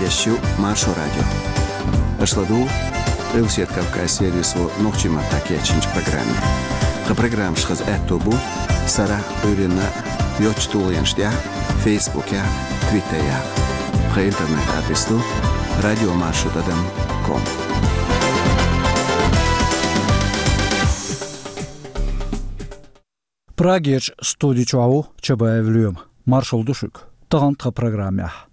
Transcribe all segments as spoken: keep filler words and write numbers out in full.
Эфирехь ю Маршо радио. Аша ладугӀу Къилбаседа Кавказ сервисо нохчийн маттахь кечйинчу программе. Тхан программаш хаза аьтто бу сарахь а, Ӏуьйранна а йоцчу тулгӀенаш тӀехь, Фейсбукехь а, Твиттерехь а. Тхан интернет-адрес ду радио маршо тӀадам ком. Прагерчу студи чохь ву Чабаев Лоьма. Маршалла ду шуьга. Тахана тхан программехь.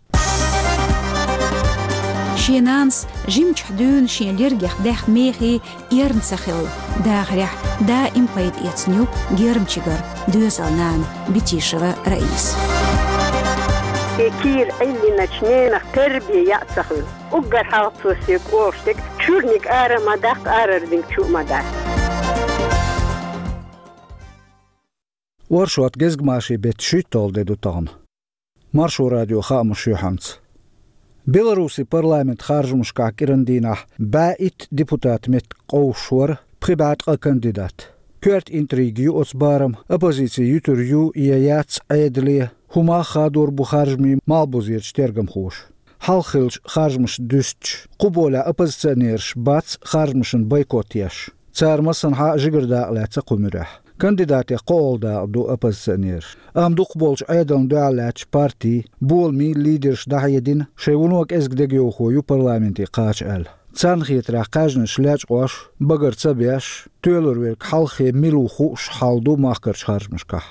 Шен нанас жимчохь дуьйна шен лергех даьхна мехий эрна ца хилла. Дахарехь даим пайда эцна ю гермчигара доьзал нана Битишева Раиса. И кийра Ӏиллиначу ненах тербия яа ца хуьлу. Уггар хьалха цо соьга олуш дерг: чуьрниг ара ма даккха, арара динг чу а ма дан. Оршот, гезгмашин беттан шуьйтталгӀа де ду тахана. Маршо радион хаамаш юьхьанца. Беларусин парламентан харжамашкахь кӀиран дийнахь бӀе итт депутатан меттиг къовсуш вара пхи бӀе ткъа кандидат. Коьрта интрига ю оцу барамехь, оппозици юьтур ю я яц Ӏедале, хӀун мах хадор бу харжамийн малхбузерчу тергамхоша. Хьалха хиллачу харжамашна дуьстича, кху болехь оппозиционераш бац харжамашна бойкот еш. Цара массанхьа а жигара дакъа лаьцна кху муьрехь. Кандидатех кхоалгӀа дакъа ду оппозиционераш. Амма дукхахболчу Ӏедална дуьхьал лаьттачу партийн, боламийн лидерша дӀахьедина, шайн вуно кӀезиг дегайовхо ю парламенте кхача аьлла. Царна хетарехь, кхаьжнаш лечкъош, багара ца беш, тоьлур верг хьалххе мила ву хууш хьал ду махкарчу харжамашкахь.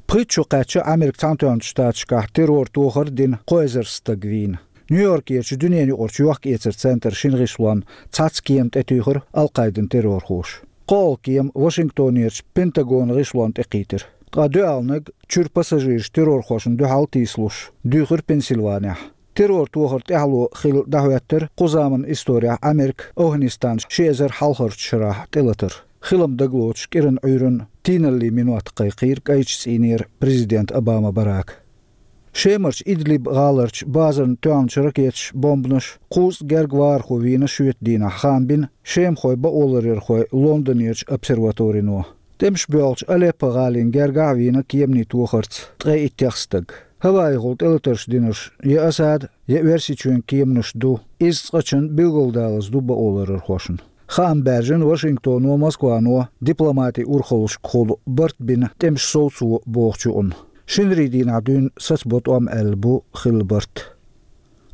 Пхийтта шо кхаьчча, Америкин Цхьаьнатоьхначу Штаташкахь террор тохар а дина, кхо эзар стаг вийна. Нью-Йоркерчу дуьненаюкъарчу йохк-эцаран центран шина гӀишлонна цхьацца кема тӀетуьйхира Ал-Къайдан террорхоша. КхоалгӀа кема Вашингтонерчу Пентагонан гӀишлонна тӀекхийтира. Ткъа доьалгӀаниг, чуьра пассажираш террорхошна дуьхьал тийсалуш, дуьйхира Пенсильванехь. Террор тохар тӀаьхьало хилла дӀахӀоьттира кху заманан исторехь Америка Афганистанан ши эзар хьалхарчу шарахь тӀелатар. Хилам дагалоцуш кӀиранан Ӏуьйранна тийналлин минот кхайкхийра кӀайчу цӀийнера президент Обама Барака. Шемарчу Идлиб гӀаларчу базарна тоьхначу ракеташа, бомбанаша кхузткъа гергга вахархо вийна шоьтан дийнахь, хаам бина шемахойн бакъоларъярхойн Лондонерчу обсерваторино. ТӀемаш боьлхучу Алеппо-гӀалин гергахь а вийна кеманийн тохарца ткъе иттех стаг. ХӀаваэхула тӀелатарш динарш я Асадан, я Оьрсийчоьнан кеманаш ду, иза цкъачунна билгалдалаза ду бакъоларъярхошна. Хаам баьржина Вашингтоно, Москвано дипломатин урхаллашкахула барт бина тӀемаш совцо бохучу юкъана. Шинарин дийнахь дуьйна сацабо тӀом аьлла бу хилла барт.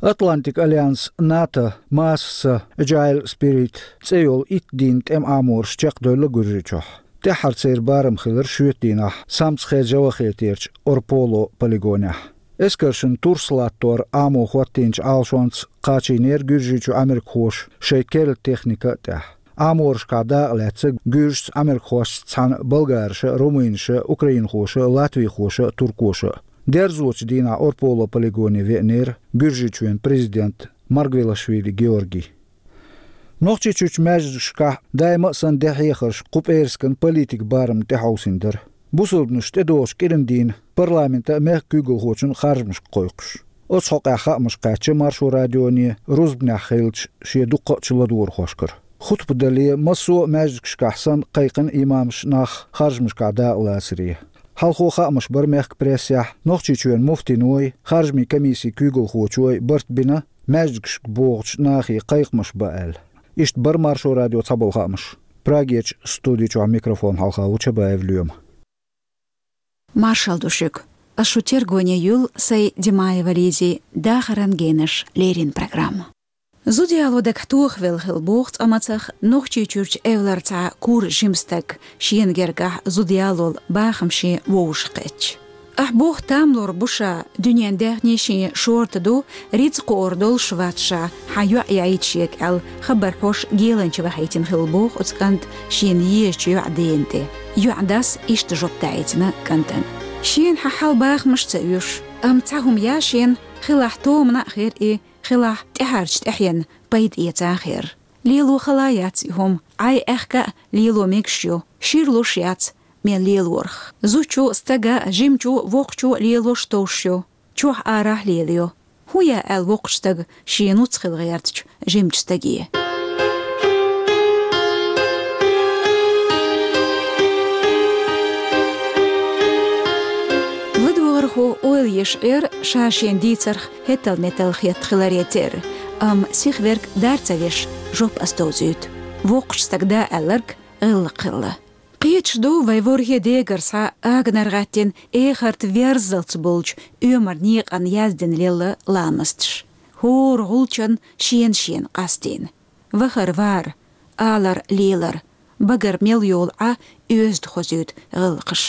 Атлантик Альянс, НАТО, Масса, Agile Spirit цӀе йолу итт дийнан тӀеман Ӏамораш чекхдевлла Гуьржийчохь. ТӀаьххьара церан барам хилира шоьтан дийнахь Самцхе-Джавахетерчу Орполо полигонехь. Эскаршна турс латтор Ӏамо хӀоттийначу Ӏалашонца кхачийнера Гуьржийчу америкахоша шайн керла техника а тӀехь. Ӏаморашкахь дакъа лаьцна гуьржашца, америкахошца цхьаьна болгараша, румынаша, украинхоша, латвийхоша, туркоша. Дерзочу дийнахь Орполо полигоне веанера Гуьржийчоьнан президент Маргвелашвили Георгий. Нохчийчуьрчу маьждигашкахь даима а санна де хьехарш кху пӀераскан политикан барамна тӀехьовсийна дара. Бусалбанаш тӀедогӀучу кӀиран дийнан парламентан а, мехкан куьйгалхочун а харжамашка кхойкхуш. Оцу хьокъехь хаамаш кхаьчна Маршо радионе рузбанехь хиллачу шен дуккха а чу ладогӀархошкара. Хутба дале, массо а маьждигашкахь санна кхайкхина имамаш нах харжамашкахь дакъа лацаре. Хьалхо хаамаш бара мехкан прессехь, Нохчийчоьнан муфтиной, харжамийн комиссин куьйгалхочой барт бина, маьждигашка богӀучу нахе кхайкхамаш бан аьлла. Иштта бара Маршо радион цхьаболу хаамаш. Прагерчу студи чохь микрофон хьалха ву Чабаев Лоьма. Маршалла ду шуьга. Ас шу тергоне юьллу Саидимаева Лизин «Дахаран генаш» леррина программа. Зуда яло дагахь тохавелла хилла боху цкъа мацах Нохчийчуьрчу эвлара цхьа кура жима стаг, шена гергахь зуда ялол бахамашна вовшахкхетча. Ахь боху, там лур бу ша, дуьненан даьхни шен шорта ду, рицкъ кхоор долуш вац ша, хьан йоӀ яийта шега аьлла, хабар хьош геланча вахийтина хилла боху оцу кӀанта шена езачу йоӀан дена тӀе. ЙоӀан дас иштта жоп даийтина кӀантана: «Шена хьан хьал бахамаш ца оьшу, амма цхьа хӀума яц шена, хилахь томана а хир и, хилахь тӀаьхьарчу тӀаьхьенна пайда эца а хир. Лело хала яц и хӀума, Ӏай аьхка а лело мегаш ю, шир луш яц мел лелорах. Зудчо а, стага а, жимачо а, воккхачо а лелош товш ю, чохь арахь лелайо. ХӀун яа аьлла воккхачу стага шен нуц хила гӀертачу жимачу стаге?» ЛадогӀархо Ала еш Ӏер ша шен дийцарх хӀетал-метал хетта хиларе терра, амма сихверг дар ца веш жоп ас довзуьйту. Воккхачу стага да аьлларг гӀиллакх хилла. Кхеташ ду вай ворхӀе дегара схьа аганара гӀаьттина эхарта верззалц болчу оьмар некъан яздина лелла ламасташ. ХӀора гӀулчан шена-шена къастийна. Вахар вар, алар лелар, багара мел йолу Ӏа оьзда хозуьйту гӀиллакхаш.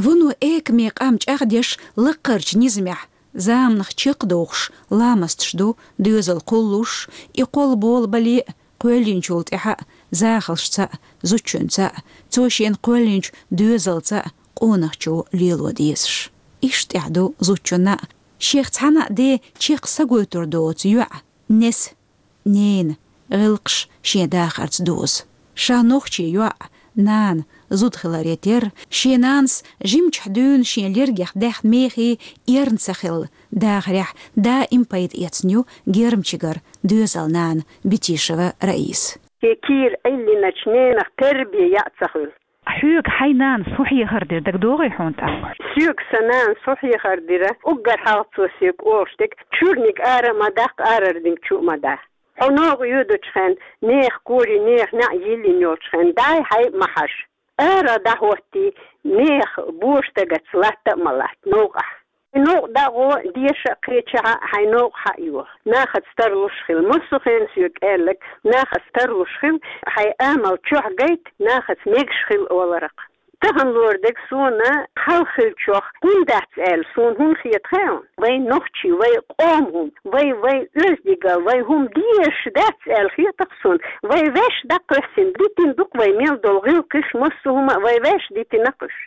Вуно экаме къам чӀагӀдеш лаккхарчу низамехь, заманах чекхдохуш ламасташ ду доьзал кхуллуш, и кхолла болабале а, кхоьллинчул тӀаьхьа а, захалшца а, зудчуьнца а, цо шена кхоьллинчу доьзалца а къонахчо лело дезаш. Иштта тӀехь ду зудчунна а, шех цхьана а де чекх са гойтур доцу йоӀ, неса, нена, гӀиллакхаш шен дахарца дозу. Ша нохчи йоӀ, нана, зуда хиларе терра, шен нанас жимчохь дуьйна шен лергех даьхна мехий эрна ца хилла, дахарехь даим пайда эцна ю Гермчигара доьзал нана Бетишева Раиса. Кийра Ӏиллиначу ненах тербия яа ца хуьлу. Хьоьга хьайн нанас хӀун хьехар дира, дагадогӀий хьуна тӀаккха? Соьга сан нанас хӀун хьехар дира, уггар хьалха цо соьга олуш дерг: чуьрниг ара ма даккха, арара динг чу а ма да. Хьо новкъа йоьдучу хенна, нехан кори, нехан неӀ йиллина йолчу хенна, дай хьай а ма хьажа. Ара дӀахӀоттий, нехан боша дагаца латта а ма латта новкъахь. Новкъа дӀагӀо, деша а, кхечахьа а хьайн новкъа хьа а йо. Нахаца тарлуш хила. Массо а хенахь соьга аьлларг: нахаца тарлуш хила, хьайн амал чохь гайта, нахаца мегаш хила олура-кх. Тахана лорадерг суна хьалха хиллачух хӀунда дац аьлла, суна хӀунда хета хаьий? Вай нохчий, вай къоман хӀума, вай, вай оьздангалла, вай хӀума дезаш дац аьлла хета-кх суна. Вай ваьш дӀакхоьссина, дитина ду-кх вай мел долу гӀиллакхаш, массо а хӀума а вай ваьш дитина-кх уьш.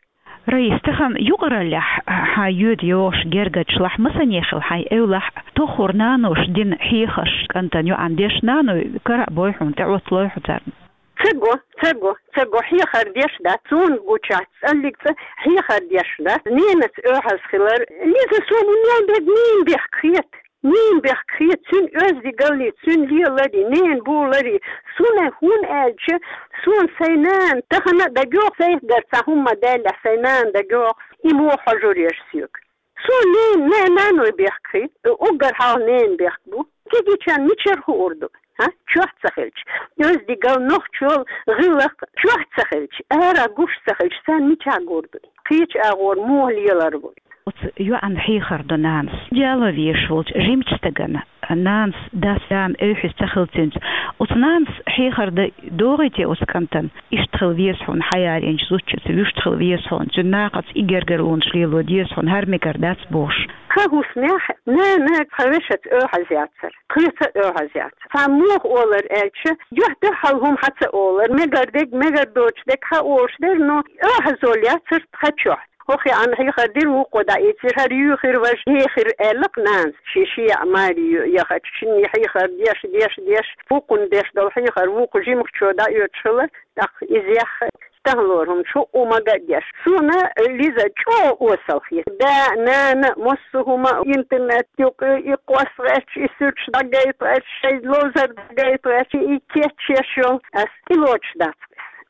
Раиса, тахана юкъараллехь хьан йоьду йогӀуш гергарчу лахь масане хила хьайн эвлахь, тоххара наноша дина хьехарш кӀантана йоӀана деш, наной кара а бой хьуна, тӀеӀотталой хьо царна? Ца го, ца го, ца го, хьехар деш дац, суна гучахь цӀаллиг цӀа хьехар деш дац. Ненаца оьхьаз хилар, Лиза, суна и мел дерг ненан бехк хета. Ненан бехк хета, цуьнан оьздангаллий, цуьнан леларий, ненан боларий. Суна хӀунда аьлча, суна сайн нана, тахана а дагайогӀу, сайх гар цхьа хӀума ма даьллехь, сайн нана дагайогӀу, и муха хьожур яра соьга. Суна ненан, на-, наной бехк хета, уггар хьалха ненан бехк бу. Кегийчарна мичара хуур ду? ХӀа? Чохь ца хилча, оьздангалла, нохчалла, гӀиллакх чохь ца хилча, ара гуш ца хилча, царна мичахь гур ду? Кхечу агӀор муха лелар ву? Оцу йоӀана хьехар до нанас. Дела везаш волчу жимачу стагана нанас дас-нана эвхьаза ца хилча цуьнца, оцу нанас хьехар дан догӀий те оцу кӀантана? Иштта хила веза хьуна хьаялийначу зудчуьнца, вуьшта хила веза хьуна, цуьнан нахаца и гергарлонаш лело деза хьуна, хӀара мегар дац бохуш. Кху хӀусамехь нана цхьа вешаца оьхьаз яцара, кхечуьнца оьхьаз яцара. Цхьа муха олар аьлча, дуьхьал-дуьхьал хӀума хьа ца олар, мегар дерг, мегар доцуш дерг хьа олуш дара, но оьхьазалла яцара тхан чохь. ХӀокху йоӀана хьехар дира, вукхо дӀаийцира, хӀара юьйхира, важа ехира аьлла-кх нанас, шен-шен яӀ маре яхачу шинна хьехар деш, деш, деш, вукхунна деш долу хьехар вукху жимахчо дӀаоьцуш хилла, тӀаккха иза яьхна, тахана лору хӀума шу а мага а деш. Суна, Лиза, чӀогӀа осал хета. Да, нана, массо а хӀума, интернет юкъа, и кхосса гӀерташ, и суьрташ дӀагайта гӀерташ, шайн ловзар дӀагайта гӀерташ, и кечъеш йолу, ас тӀелоцуш дац.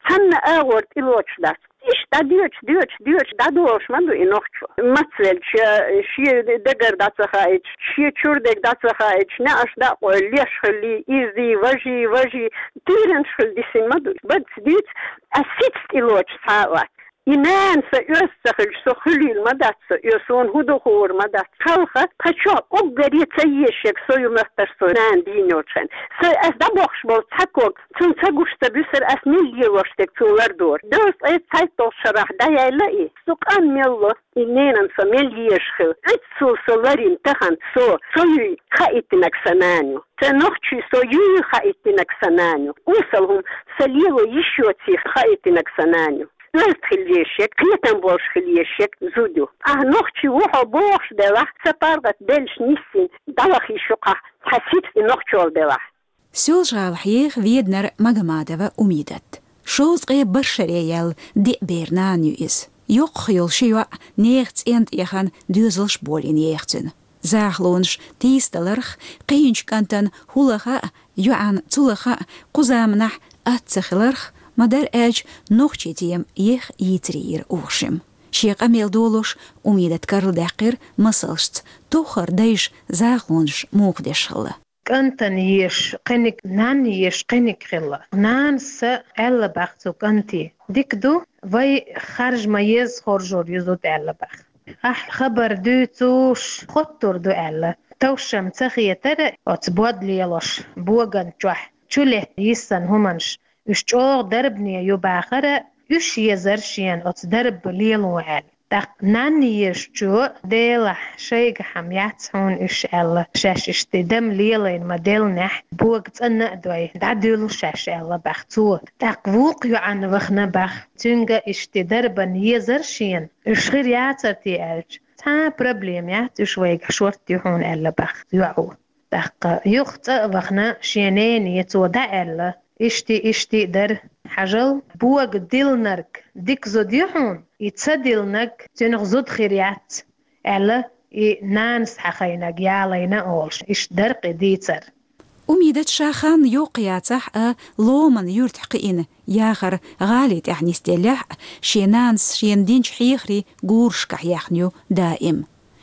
Цхьанна агӀор тӀелоцуш дац. Иштта дӀадоьдуш, доьдуш, доьдуш, дӀадолуш ма ду и нохчо. Мацвелча, шен дагара дӀа ца хаийтуш, шен чуьра дерг дӀа ца хаийтуш, неӀарш дӀа а къойла, леш хилий, изий, важий, важий, тийранаш хила дисина ма ду. Бац, дийца, ас сица тӀелоцуш цхьа а вац. И нана сан оьзда ца хилча, со хуьлийла ма дац со, и суна хӀун ду хуур ма дац. Хьалха тхан чохь уггаре ца езаш ерг со ю моьттура, со нана дийна йолчу хенна. Со ас дӀабохуш болу цхьа ког, цунна ца гуш ца буьсура, ас мила лелош дерг цунна лардора. Дезткъе цхьайтталгӀачу шарахь дӀаяьлла и. Со къанна мел ло, и ненан со мел езаш хила. Оццул со ларйина тахана со, со юй хаийтинарг сан нана ю. Сан нохчий со юй хаийтинарг сан нана ю. Осал хӀума сан лело йиш йоций хаийтинарг сан нана ю. Оьзда хила езаш ерг, кхетам болуш хила езаш ерг зуда ю. Ахь нохчи ву хьо бохуш делахь, сан паргӀат беллаш нисйина, дӀаваха йиш ю-кх ахь, хьан сица и нохчалла делахь. Соьлжа-ГӀалахь еха Веданара Магомадова Умидат. Шовзткъе барх шаре яьлла диъ бер нана ю иза. Йоккхах йолу ши йоӀ нехан цӀен тӀе яхана, доьзалш болийна еха цуьнан. Захалонаш тийсадаларх, кхиъначу кӀантана хӀуллаха а, йоӀана цулаха а кху заманахь атта ца хиларх, ма-дарра аьлча, нохчийн тема еха йийцаре йира укх шимма. Шен къамел долуш Умидат карладаьккхира масалшца, тохара дайша захалонаш муха деш хилла. КӀантана езаш кхиниг, нанна езаш кхиниг хилла. Нанас аьлла баха цу кӀанте: «Дика ду, вай харжа ма еза хоржур ю зуда», — аьлла баха. Ахь хабар дуьйцуш хоттур ду аьлла, товш-м ца хетара оцу бод лелош боган чохь чу летта йиссина хӀуманаш, уьш чӀогӀа дарбане ю бахара, уьш езара шена оцу дарба лело аьлла. ТӀаккха нанна езачо: «Делахь, шайгахь-м яц хьуна уьш», — аьлла, шаьш иштта дам лелийна ма-деллинехь, бога цӀанна а дой, дӀадуьллу шаьш аьлла баха цо. ТӀаккха вукху йоӀана вахана баха, цуьнга иштта дарбан езара шена, уьш хир яцара те аьлча, цхьа а проблема яц, уьш вайгахь шорта ю хьуна аьлла баха йоӀо. ТӀаккха юха цӀа а вахана шен нене цо дӀааьлла: «Иштта, иштта дара, хьажал, бога диллинарг дика зуда ю хьуна, и ца диллинарг цуьнах зуда хир яц», — аьлла, и нанас хьахийнарг ялийна олуш, иштта дара кхин дийцар. Умидат ша хан йоккха яцахь а, Ломан юьртахь кхиъна, яхар гӀали тӀехь нисделлехь а, шен нанас шена динчу хьехарийн гурашкахь яьхна ю даим.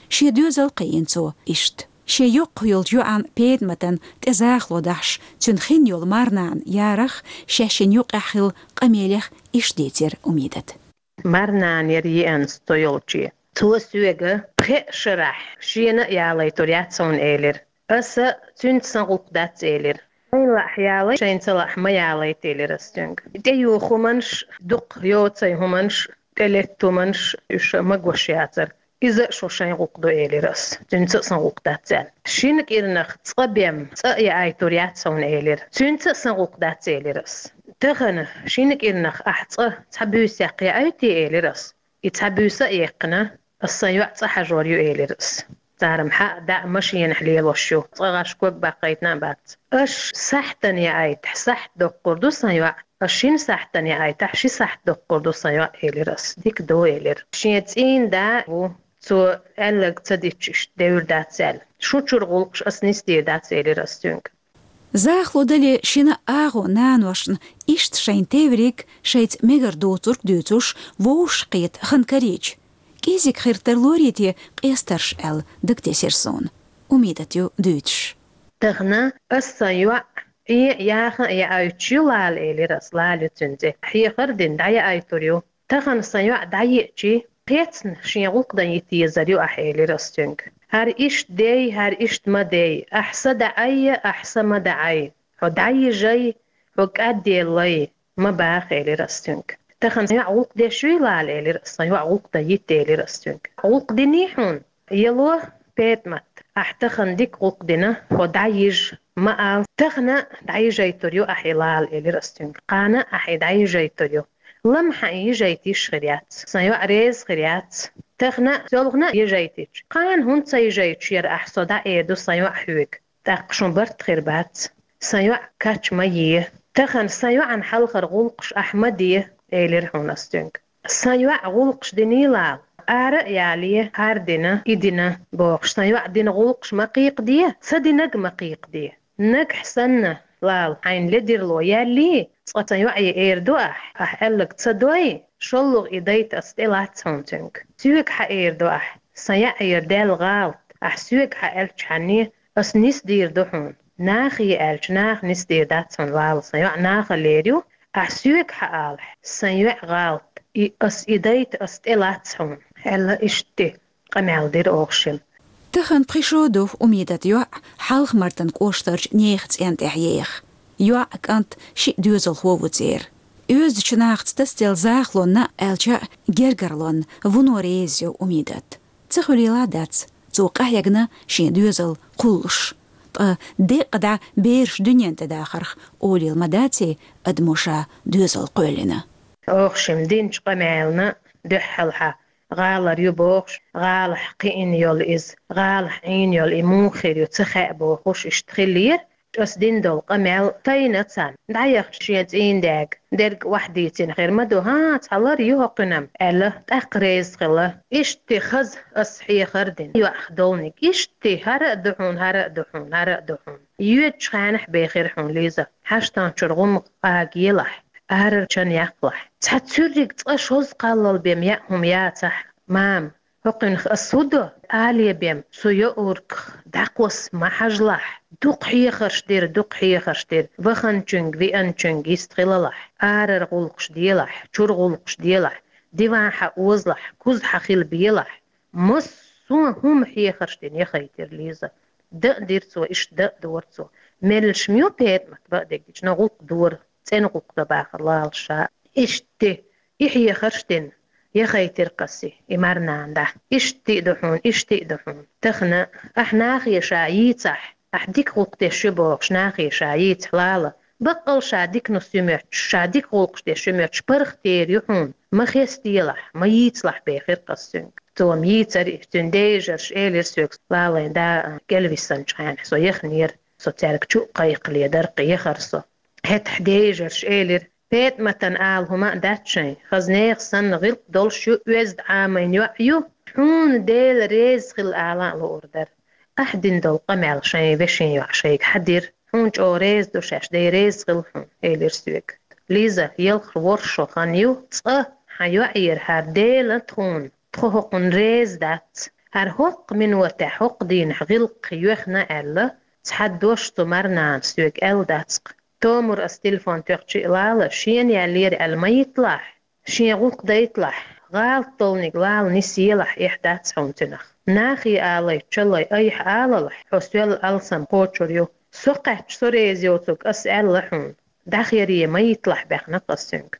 Шен доьзал кхиъна цо иштта. Шен йоккха йолчу йоӀан Петаматан тӀе захало дахьаш, цуьнан хин йолу марнана Ярах шаьшшинна юкъехь хилла къамелех иштта дийцира Умидат. Марнана яра еана со йолче. Цо соьга пхеа шарахь шена а ялайтур яц хьуна элира. Аса цуьнца сан гӀуллакх дац элира. Шайна лаахь ялайта, шайна ца лаахь ма ялайта элира аса цуьнга. ТӀеюху хӀуманаш, дукха йоцай хӀуманаш, тӀелетта хӀуманаш, уьш ма гуш яцара. Иза а шун шайн гӀуллакх ду элира аса. Цуьнца а сан гӀуллакх дац аьлла. Шина кӀирнах цкъа бен, цкъа а яайтур яц хьуна элира. Цуьнца а сан гӀуллакх дац элира аса. Тахана шина кӀирнах ахь цкъа цхьа буьйсехь яайтий элира аса. И цхьа буьйса а яьккхина, аса сан йоӀ цӀа хьажор ю элира аса. Цара-м хьа а, дӀа а машенахь лелош ю, цкъа гӀаш ког баккхийтина а бац. Аша сахьтана яайтахь, сахьт доккхур ду сан йоӀ, аша шина сахьтана яайтахь, ши сахьт доккхур ду сан йоӀ элира аса. Дика ду элира. Шен цӀийнан да а ву, цо аьлларг ца дича иштта девр дац аьлла. Шун чуьра гӀуллакхаш аса нисдийр дац элира аса цуьнга. Захало дале шина агӀо наношна иштта шайн тевриг, шайца мегар доцург дуьйцуш, вовшахкхета хан карийча, кӀезиг хир тарлорий те къестарш аьлла дагатесира суна. Умидат ю дуьйцуш. Тахана аса сан йоӀ Ӏе а, яха а яайтуш ю Лала элира аса, Лала ю цуьнан цӀе. Хьехар а дина дӀаяайтур ю. Тахана сан йоӀ дӀаеачи, кхецна шен гӀуллакх дан йита езар ю ахь элира аса цуьнга. ХӀара иштта дей, хӀара иштта ма дей, ахь са даӀайя, ахь са ма даӀай, хьо дӀайижай, хьо кӀадъеллай, ма баха элира аса цуьнга. Тахана сан йоӀ гӀуллакх деш юй Лала элира аса, сан йоӀ гӀуллакх дан йита элира аса цуьнга. ГӀуллакх диний хьуна? Яло, Петамат, ахь тахана дика гӀуллакх дина, хьо дӀайижа, ма ала, тахана дӀайижайтур ю ахь и Лала элира аса цуьнга. Кхана ахь и дӀайижайтур ю. Ламхьа и йижайта йиш хир яц. Сан йоӀ реза хир яц. Тахана а, селхана а йижайтича, кхана хӀунда ца йижайтуш яра ахь со дӀа эр ду сан йоӀ хьоьга. ТӀаккха шун барт хир бац. Сан йоӀ кач ма е. Тахана сан йоӀан хьалхара гӀуллакхаш ахь ма де, элира хьуна аса цуьнга. Сан йоӀ гӀуллакхаш диний Лала, ара а яле, хӀара дина, и дина бохуш, сан йоӀ дина гӀуллакхаш ма кхайкхаде, ца динарг ма кхайкхаде. Нагахь санна, Лала, хьайна ледарло яьллий, цкъа сан йоӀе эр ду ахь, ахь аьлларг ца дой, шолгӀа и дайта аса тӀелац хьуна цуьнга. Соьга хьаэр ду ахь, сан йоӀера даьлла гӀалат, ахь соьга хьааьлчхьанне, аса нисдийр ду хьуна. Нахе аьлча, наха нисдийр дац хьуна, Лала, сан йоӀ нахалера ю, ахь соьга хьаалахь, сан йоӀ гӀалат, и аса и дайта аса тӀелац хьуна, аьлла, иштта къамел дира оха шимма. Тахана пхи шо ду Умидат йоӀ Хьалха-Мартан кӀоштарчу нехан цӀен тӀехь еха. ЙоӀ, кӀант шиъ доьзалхо ву церан. Оьздачу нахаца тасаделла захалонна, аьлча а гергарлонна, вуно реза ю Умидат. Ца хуьлийла дац, цо къахьегна шен доьзал кхуллуш. Ткъа деккъа дӀа бераш дуьнен тӀе дахарх олийла ма даций адамо ша доьзал кхоьллина. Оха шимма динчу къамелна дуьххьалха гӀалара ю бохуш, гӀалахь кхиъна йолу иза, гӀалахь Ӏийна йолу и муха хир ю ца хаьа бохуш, иштта хиллера. Аса дина долу къамел тайна царна. ДӀаяхча шен цӀийнан даьга, дерг охьадийцина хир ма ду, хӀан, цхьа лар ю хӀокхуьнан, аьлла, тӀаккха реза хилла. Иштта хаза аса хьехар а дина, йоӀах долниг. Иштта хӀара а ду хьуна, хӀара а ду хьуна, хӀара а ду хьуна. Йоьдучу хенахь бен хир хьуна, Лиза, хьаштан чуьра гӀум агаелахь. арара чан яккхалахь. Цхьа цуьрриг цкъа шозза кхаллал бен яа хӀума яцахь, мам, хӀокхуьнах ас хӀу до? Але бен, со йоӀургах дӀакхосса ма хьажалахь. Дукха хьехарш дира, дукха хьехарш дира. Ваханчуьнга, вианчуьнга йистхилалахь. Арара гӀуллакхаш делахь, чура гӀуллакхаш делахь. Диван хьаозалахь, куз хьахила белахь. Массо а хӀума хьехарш дина яхийтира Лиза. Даа дира цо, иштта даа дора цо. Меллаша ма ю ПетӀамат баа дегдича, но гӀуллакх дора. ЦӀена гӀуллакх до бахар лалаш ша. Иштта и хьехарш дина яхийтира-кх ас и марнана дӀа. Иштта а ду хьуна, иштта а ду хьуна. Тахан ахь нахе ша йийцахь, ахь дика гӀуллакх деш ю бохуш нахе ша йийцахь, лала. Баккъал ша диканус ю моьттуш, ша дика гӀуллакхаш деш ю моьттуш паргӀатера ю хьуна. Ма хестаделахь, ма йийцалахь бехира-кх ас цуьнга. Цо-м йийцара и, цуьнан дейжарша элира соьга, лалайн да кӀелвисанчу хенахь со яханера, со цаьрга чу а кхайкхале дара-кх, яхара со. ХӀетахь дейжарша элира: ПетӀаматана ала хӀума а дац шайн, хаза нехан санна гӀиллакх долуш ю, оьзда Ӏамийна йоӀ ю, хьуна Дела реза хила ала а луур дара. Ахь дина долу къамел шайн вешин йоӀ шайга хьан дира? Хьуна чӀогӀа реза ду шаьш, Дела реза хила хьуна, элира соьга. Лиза, ялхара ворхӀ шо хан ю, цкъа хьан йоӀера хӀара Дела тхуна, тхо хӀокхунна реза дац. ХӀара хӀокху минотехь, хӀокху дийнахь гӀиллакх йоьхна аьлла, цхьа дош цу марнана соьга аьлла дац-кх. Томур ас телефон тоьхча а, лала, шена яьллера аьлла ма йитталахь, шен гӀуллакх дайталахь, гӀалат долниг лала нисъелахь, эхь дац хьуна цуьнах. Нахе алайчаллай айхьа алалахь, хьо соьлла алсам кхочур ю. Со кхаьчча со реза йоцург ас аьлла хьуна. ДӀахере ма йитталахь, баьхна-кх ас цуьнга.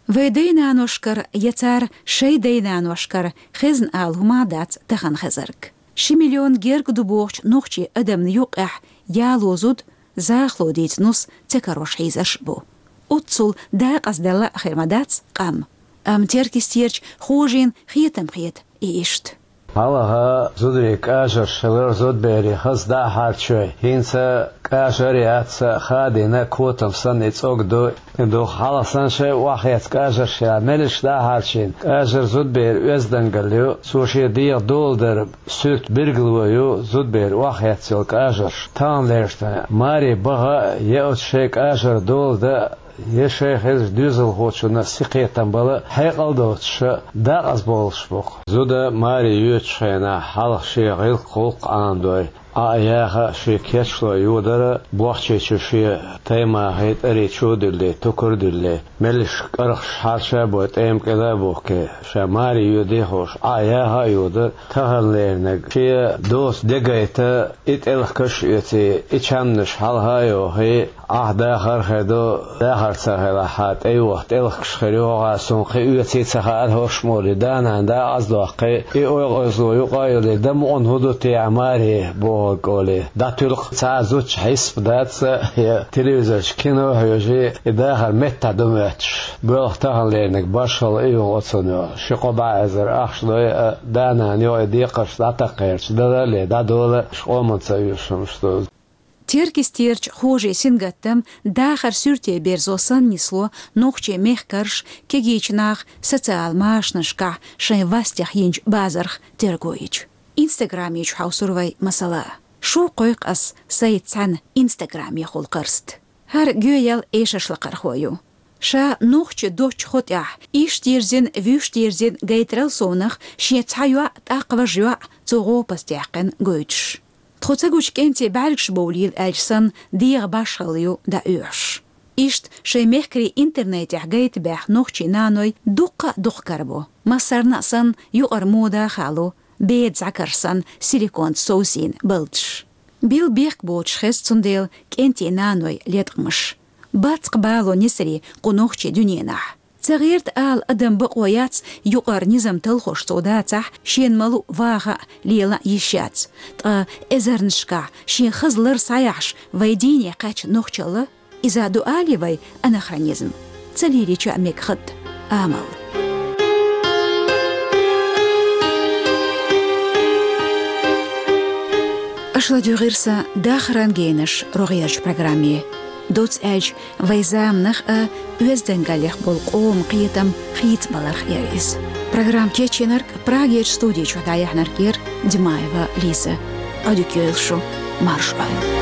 Вай дай-наношкара я цара шай дай-наношкара хезна ала хӀума дац тахана хезарг. Ши миллион герга ду бохучу нохчийн адамна юккъехь яло зуда, захало дийца нус ца карош хьийзарш а бу. Оццул дакъазделла а хир ма дац къам. Амма Теркйистерчу Хожина хетам хета и иштта. Хьалха зударийн кӀажарш хилар зудберийн хаза дӀа а хьарчой, хӀинца кӀажар а яц, хадийна котам санна и цӀог ду. И ду хьалха санна шайн охьахецна кӀажарш я, меллаша дӀа а хьарчийна. КӀажар зудберан оьздангалла ю, цо шен дегӀан дола дар суьрта билгало ю зудберан охьахецна йолу кӀажарш. Таханлерчу тайпана маре баха а, я оцу шайн кӀажар дола дан а, я шайн хезачу доьзалхочунна синкхетам бала хьекъал доцуш а дакъазбовлуш бу-кх. Зуда маре йоьдучу хенахь хьалха шен гӀиллакх-гӀуллакх Ӏамадой, Ӏа а яха а, шен кечлой йодара, бохчи чу шен таймахий, тӀарий чу а дуьллий, тукар а дуьллий, меллаша кӀаргӀаш хьарча а бой, тӀема кӀела а бухкий, ша маре йоьдий хууш, Ӏа а яха а йодара. Таханлерниг шен доцу де гайта, и тӀелхигаш а оьций, и чамнаш хьалха а йохий, Ӏа дахар а хир ду, дахар ца хилахь, тӀе йоху тӀелхигаш хир ю, хӀокхара суна кхин оьций ца хаьара хӀорш ма олий, да-нана дакъаздоккхий, и ойкъазло юкъа а йолий, дан мукъана хӀун ду те маре бохург олий, дӀатуьллу-кх цхьа а зудчун хьесап дац, я телевизорчу кино а хьоьжий, и дахар меттахь ду моьттуш. Боьлху таханлерниг башхалла и ю оцунна, ши-кхо бӀе эзар ахча дой а, да-нана йохий декхарш дӀатаккхарца дала а ле, дӀадола а, шу къоманца оьшуш хӀумнаш ду. Теркйистерчу Хожин сингаттам дахар суьрте берзо санна нисло нохчийн мехкарша, кегийчу наха социал машанашкахь шайн вастех йинчу базарх терго йича. Инстаграме чу хьовсур вай, масала. Шу кхойкху ас сайца цхьаьна инстаграмехула карст. ХӀара Гуьйел эшарш лакхархо ю. Ша нохчи доцчу хӀу тӀехь, иштта йирзина, вуьшта йирзина гайтарал совнах шен цхьа йоӀ, тӀаккха важа йоӀ цо гӀопаста яьккхина гойтуш. Тхо ца гучу кӀентий бӀаьргаш бовлийла аьлча санна, дегӀан башхалла ю дӀаоьхуш. Иштта шайн мехкарий интернетехь гайта баьхна нохчийн наной дуккха а дукха карабо. Массарна а санна, юкъара мода а хало, беда зӀакарш санна, силиконца совсийна балдаш. Билла бехк боцуш хеза цундела кӀентий наной леткъамаш. Бац-кх бало несарий кху нохчийн дуьненахь. Ца гӀерта ала адам бакъо яц, юкъара низам талхош цо дацахь, шена ма-луъу ваха а, лела а йиш яц. Ткъа эзарнашкахь шен хаза лар схьаяхьаш вайн дийне кхаьчна нохчалла, иза ду алий вай анахронизм? Ца лелийча а мега хатта амал. Аша ладуьйгӀира сан «Дахаран генаш» рогӀерчу программе. Доцца аьлча, вайн заманах а, оьздангаллех болу къоман кхетам хийцабаларх яра иза. Программа кечйинарг, Прагерчу студи чуьра дӀаяьхьнарг яра Димаева Лиза. Ӏодика йойла шу, марша Ӏойла.